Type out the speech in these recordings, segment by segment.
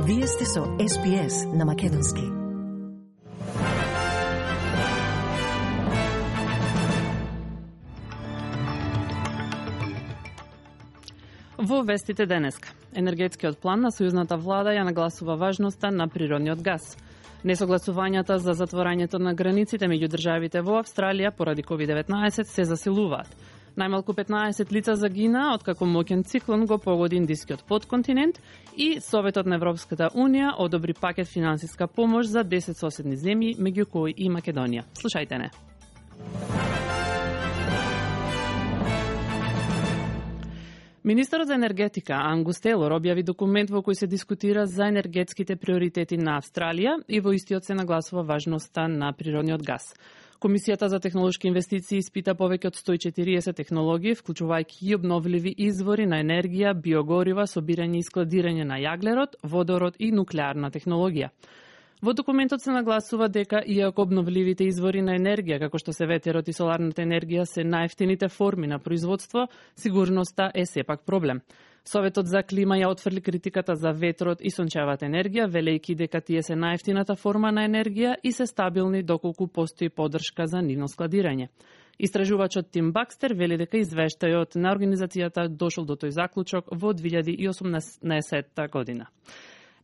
Вие сте со SPS на Македонски. Во вестите денеска, енергетскиот план на сојузната влада ја нагласува важноста на природниот газ. Несогласувањата за затворањето на границите меѓу државите во Австралија поради COVID-19 се засилуваат. Најмалку 15 лица загинаа откако моќен циклон го погоди индискиот потконтинент и Советот на Европската Унија одобри пакет финансиска помош за 10 соседни земји, меѓу кои и Македонија. Слушајте не. Министерот за енергетика Ангус Тейлор објави документ во кој се дискутира за енергетските приоритети на Австралија и во истиот се нагласува важноста на природниот газ. Комисијата за технолошки инвестиции испита повеќе од 140 технологии, вклучувајќи и обновливи извори на енергија, биогорива, собирање и складирање на јаглерод, водород и нуклеарна технологија. Во документот се нагласува дека иако обновливите извори на енергија, како што се ветерот и соларната енергија, се најевтините форми на производство, сигурноста е сепак проблем. Советот за клима ја отфрли критиката за ветрот и сончевата енергија, велејќи дека тие се најевтината форма на енергија и се стабилни доколку постои поддршка за нивно складирање. Истражувачот Тим Бакстер вели дека извештајот на организацијата дошол до тој заклучок во 2018 година.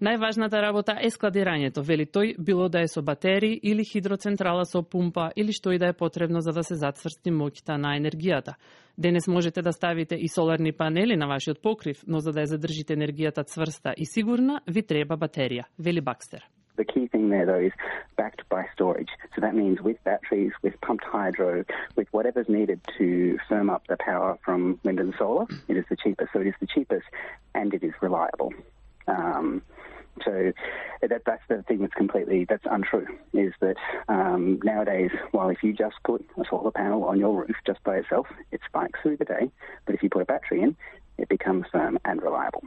Најважната работа е складирањето, вели тој, било да е со батерии или хидроцентрала со пумпа или што и да е потребно за да се затврсти моќта на енергијата. Денес можете да ставите и соларни панели на вашиот покрив, но за да ја задржите енергијата цврста и сигурна, ви треба батерија, вели Бакстер. The key thing there, though, is backed by storage. So that means with batteries, with pumped hydro, with whatever's needed to firm up the power from wind and solar, it is the cheapest. So it is the cheapest and it is reliable. So that's the thing that's untrue, is that nowadays, while if you just put a solar panel on your roof just by itself, it spikes through the day, but if you put a battery in, it becomes firm and reliable.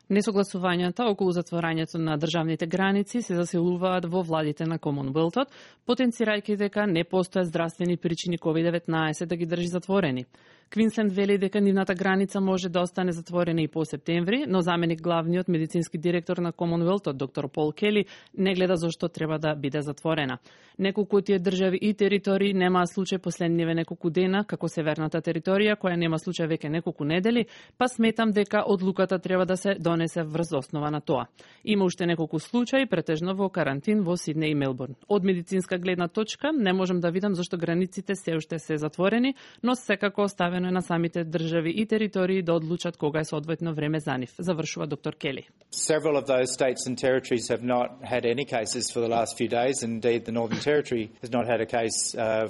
Несогласувањата околу затворањето на државните граници се засилуваат во владите на Комонвелтот, потенцирајќи дека не постојат здравствени причини COVID-19 да ги држи затворени. Квинсленд вели дека нивната граница може да остане затворена и по септември, но заменик главниот медицински директор на Комонвелтот, доктор Пол Кели, не гледа зошто треба да биде затворена. Неколку од тие држави и територии немаа случај последниве неколку дена, како северната територија, која нема случај веќе неколку недели, па сметам дека одлуката треба да се донесе врз основа на тоа. Има уште неколку случаи, претежно во карантин во Сиднеј и Мелбурн. Од медицинска гледна точка не можам да видам зашто границите се уште се затворени, но секако оставено е на самите држави и територии да одлучат кога е соодветно време за нив, завршува доктор Кели. Several of those states and territories have not had any cases for the last few days. Indeed, the Northern Territory has not had a case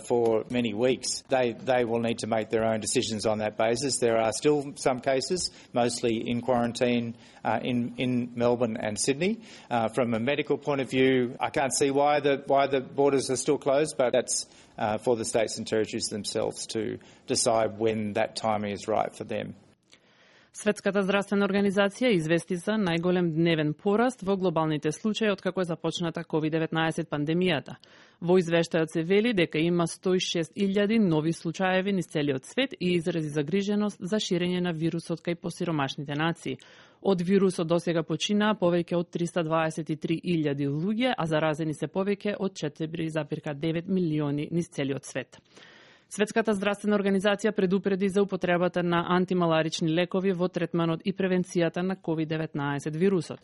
for many weeks. They will need to make their own decisions on that basis. There are still some cases, mostly in quarantine in Melbourne and Sydney. From a medical point of view, I can't see why the borders are still closed, but that's for the states and territories themselves to decide when that timing is right for them. Светската здравствена организација извести за најголем дневен пораст во глобалните случаи откако е започната COVID-19 пандемијата. Во извештајот се вели дека има 106.000 нови случаеви низ целиот свет и изрази загриженост за ширење на вирусот кај посиромашните нации. Од вирусот досега починаа повеќе од 323.000 луѓе, а заразени се повеќе од 4,9 милиони низ целиот свет. Светската здравствена организација предупреди за употребата на антималарични лекови во третманот и превенцијата на COVID-19 вирусот.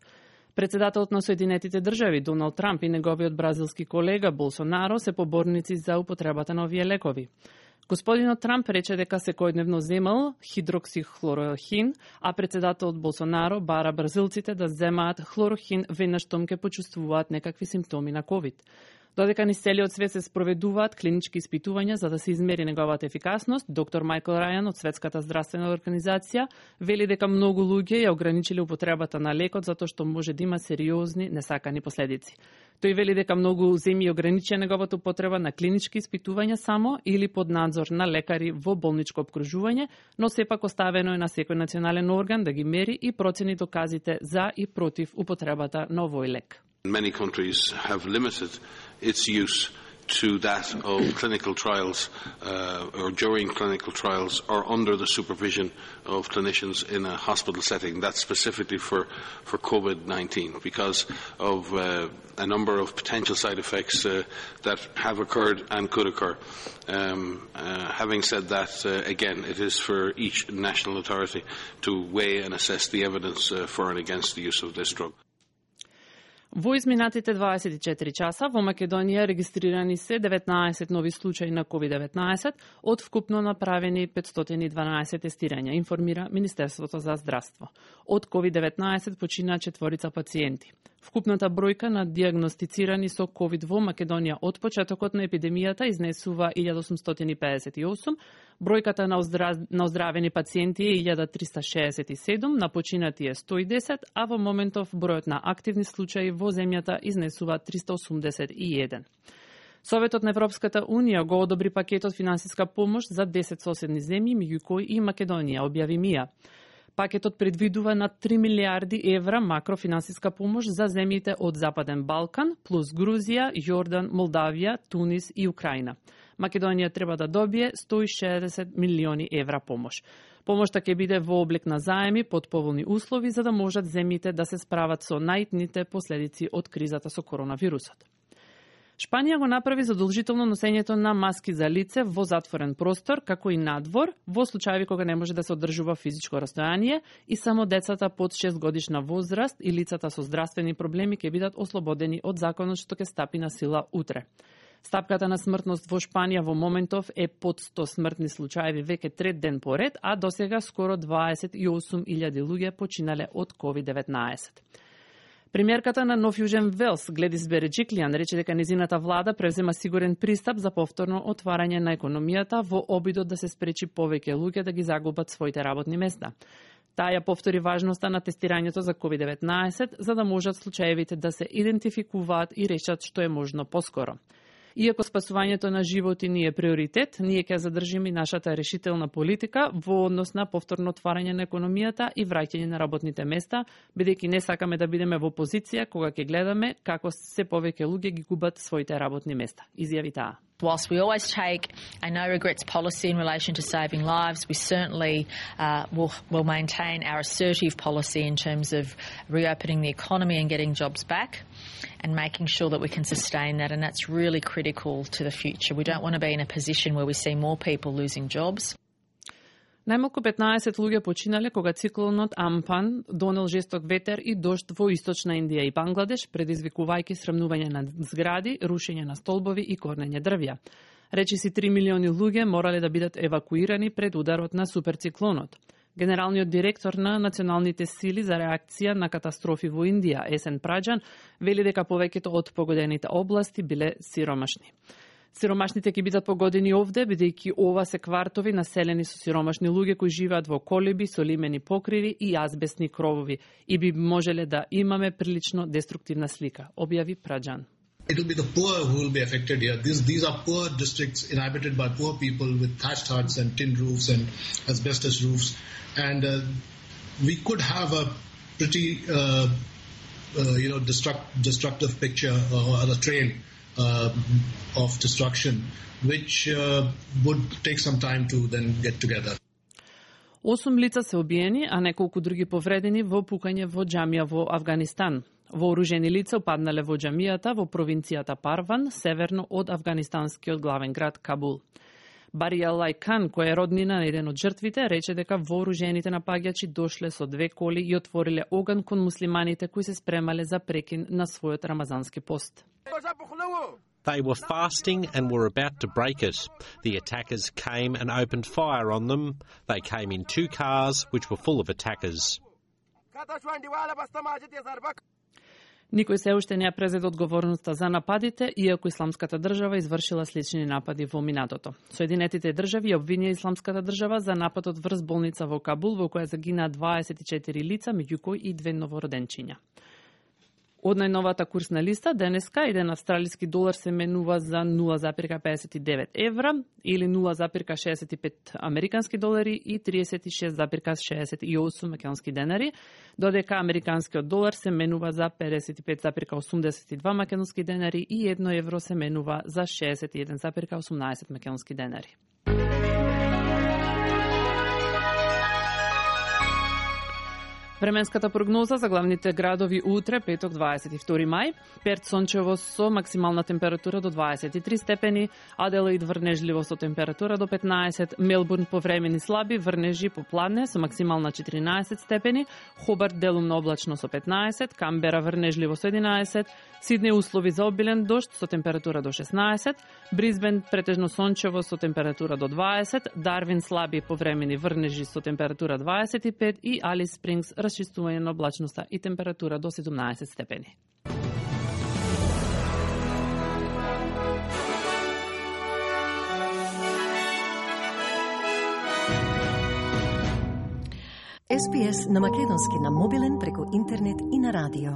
Председателот на Соединетите држави Доналд Трамп и неговиот бразилски колега Болсонаро се поборници за употребата на овие лекови. Господинот Трамп рече дека секојдневно земал хидроксихлорохин, а председателот Болсонаро бара бразилците да земаат хлорохин веднаш штом ќе почувствуваат некакви симптоми на COVID. Додека низ целиот свет се спроведуваат клинички испитувања за да се измери неговата ефикасност, доктор Майкл Рајан од Светската здравствена организација вели дека многу луѓе ја ограничиле употребата на лекот затоа што може да има сериозни несакани последици. Тој вели дека многу земји ограничија неговата употреба на клинички испитувања само или под надзор на лекари во болничко опкружување, но сепак оставено е на секој национален орган да ги мери и процени доказите за и против употребата на овој лек. Many countries have limited its use to that of clinical trials or during clinical trials or under the supervision of clinicians in a hospital setting. That's specifically for COVID-19 because of a number of potential side effects that have occurred and could occur. Having said that, again, it is for each national authority to weigh and assess the evidence for and against the use of this drug. Во изминатите 24 часа во Македонија регистрирани се 19 нови случаи на COVID-19 од вкупно направени 512 тестирања, информира Министерството за здравство. Од COVID-19 почина 4 пациенти. Вкупната бројка на диагностицирани со COVID во Македонија од почетокот на епидемијата изнесува 1858, бројката на оздравени пациенти е 1367, на починати е 110, а во моментов бројот на активни случаи во земјата изнесува 381. Советот на Европската Унија го одобри пакетот финансиска помош за 10 соседни земји, меѓу кои и Македонија, објави МИА. Пакетот предвидува на 3 милиарди евра макрофинансиска помош за земјите од Западен Балкан, плюс Грузија, Јордан, Молдавија, Тунис и Украина. Македонија треба да добие 160 милиони евра помош. Помошта ќе биде во облик на заеми под поволни услови за да можат земјите да се справат со најитните последици од кризата со коронавирусот. Шпанија го направи задолжително носењето на маски за лице во затворен простор, како и надвор, во случаи кога не може да се одржува физичко растојание и само децата под 6 годишна возраст и лицата со здравствени проблеми ќе бидат ослободени од законот што ќе стапи на сила утре. Стапката на смртност во Шпанија во моментов е под 100 смртни случаи веќе трет ден поред, а досега скоро 28.000 луѓе починале од COVID-19. Премиерката на Нов Јужен Велс, Гледис Береджиклијан, рече дека незината влада презема сигурен пристап за повторно отварање на економијата во обидот да се спречи повеќе луѓе да ги загубат своите работни места. Таа ја повтори важноста на тестирањето за COVID-19 за да можат случаевите да се идентификуваат и решат што е можно поскоро. Иако спасувањето на животи ни е приоритет, ние ќе задржиме нашата решителна политика во однос на повторно отварање на економијата и враќање на работните места, бидејќи не сакаме да бидеме во позиција кога ќе гледаме како се повеќе луѓе ги губат своите работни места, изјави таа. Whilst we always take a no regrets policy in relation to saving lives, we certainly will maintain our assertive policy in terms of reopening the economy and getting jobs back and making sure that we can sustain that, and that's really critical to the future. We don't want to be in a position where we see more people losing jobs. Најмалку 15 луѓе починале кога циклонот Ампан донел жесток ветер и дожд во источна Индија и Бангладеш, предизвикувајќи срамнување на згради, рушење на столбови и корнење дрвја. Речиси 3 милиони луѓе морале да бидат евакуирани пред ударот на суперциклонот. Генералниот директор на Националните сили за реакција на катастрофи во Индија, Есен Праџан, вели дека повеќето од погодените области биле сиромашни. Сиромашните ќе бидат погодени овде, бидејќи ова се квартови населени со сиромашни луѓе кои живеат во колиби со лимени покриви и азбестни кровови и би можеле да имаме прилично деструктивна слика, објави Праџан. It will be the poor who will be affected here. These are poor districts inhabited by poor people with thatched huts and tin roofs and asbestos roofs. And we could have a pretty, destructive picture or a trail of destruction, which would take some time to then get together. 8 лица се убиени, а неколку други повредени во пукање во џамија во Авганистан. Вооружени лица упаднале во џамијата во провинцијата Парван, северно од афганистанскиот главен град Кабул. Барија Лајкан, кој е роднина на еден од жртвите, рече дека вооружените напаѓачи дошле со 2 коли и отвориле оган кон муслиманите кои се спремале за прекин на својот рамазански пост. They were fasting and were about to break it. The attackers came and opened fire on them. They came in 2 cars which were full of attackers. Никој се уште не ја презеде одговорноста за нападите, иако Исламската држава извршила слични напади во минатото. Соединетите држави обвинија Исламската држава за нападот врз болница во Кабул, во која загинаа 24 лица, меѓу кои и 2 новороденчиња. Од најновата курсна листа, денеска еден австралиски долар се менува за 0,59 евра или 0,65 американски долари и 36,68 македонски денари, додека американскиот долар се менува за 55,82 македонски денари и 1 евро се менува за 61,18 македонски денари. Временската прогноза за главните градови утре, петок 22 мај. Перт сончево со максимална температура до 23 степени, Аделаид врнежливо со температура до 15, Мелбурн повремени слаби врнежи попладне со максимална 14 степени, Хобарт делумно облачно со 15, Камбера врнежливо со 11, Сиднеј услови за обилен дожд со температура до 16, Брисбен претежно сончево со температура до 20, Дарвин слаби повремени врнежи со температура 25 и Алис Спрингс расчистување на облачноста и температура до 17 степени. SPS на македонски на мобилен преку интернет и на радио.